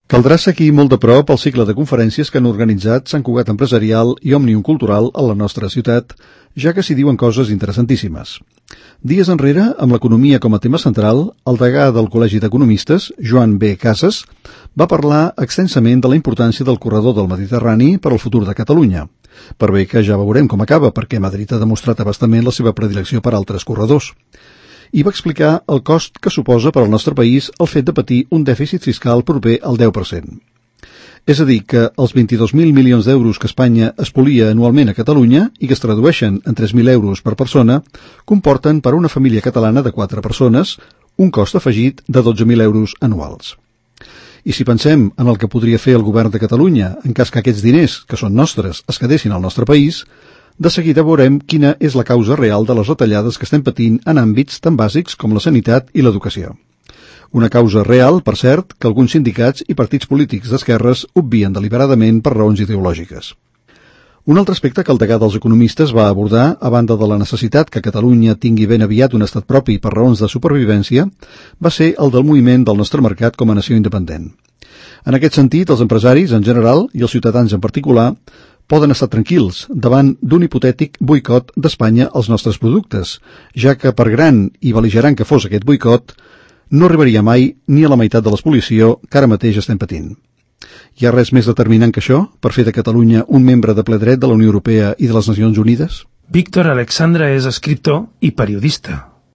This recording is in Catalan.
Caldrà seguir molt de prop el cicle de conferències que han organitzat Sant Cugat Empresarial i Òmnium Cultural a la nostra ciutat, ja que s'hi diuen coses interessantíssimes. Dies enrere, amb l'economia com a tema central, el degà del Col·legi d'Economistes, Joan B. Casas, va parlar extensament de la importància del corredor del Mediterrani per al futur de Catalunya. Per bé que ja veurem com acaba, perquè Madrid ha demostrat abastament la seva predilecció per altres corredors. I va explicar el cost que suposa per al nostre país el fet de patir un dèficit fiscal proper al 10%. És a dir, que els 22.000 milions d'euros que Espanya espolia anualment a Catalunya i que es tradueixen en 3.000 euros per persona, comporten per a una família catalana de 4 persones un cost afegit de 12.000 euros anuals. I si pensem en el que podria fer el govern de Catalunya en cas que aquests diners, que són nostres, es quedessin al nostre país, de seguida veurem quina és la causa real de les retallades que estem patint en àmbits tan bàsics com la sanitat i l'educació. Una causa real, per cert, que alguns sindicats i partits polítics d'esquerres obvien deliberadament per raons ideològiques. Un altre aspecte que el degà dels economistes va abordar, a banda de la necessitat que Catalunya tingui ben aviat un estat propi per raons de supervivència, va ser el del moviment del nostre mercat com a nació independent. En aquest sentit, els empresaris en general i els ciutadans en particular poden estar tranquils davant d'un hipotètic boicot d'Espanya als nostres productes, ja que per gran i bel·ligerant que fos aquest boicot, no arribaria mai ni a la meitat de l'expolició que ara mateix estem patint. Hi ha res més determinant que això per fer de Catalunya un membre de ple dret de la Unió Europea i de les Nacions Unides? Víctor Alexandra és escriptor i periodista.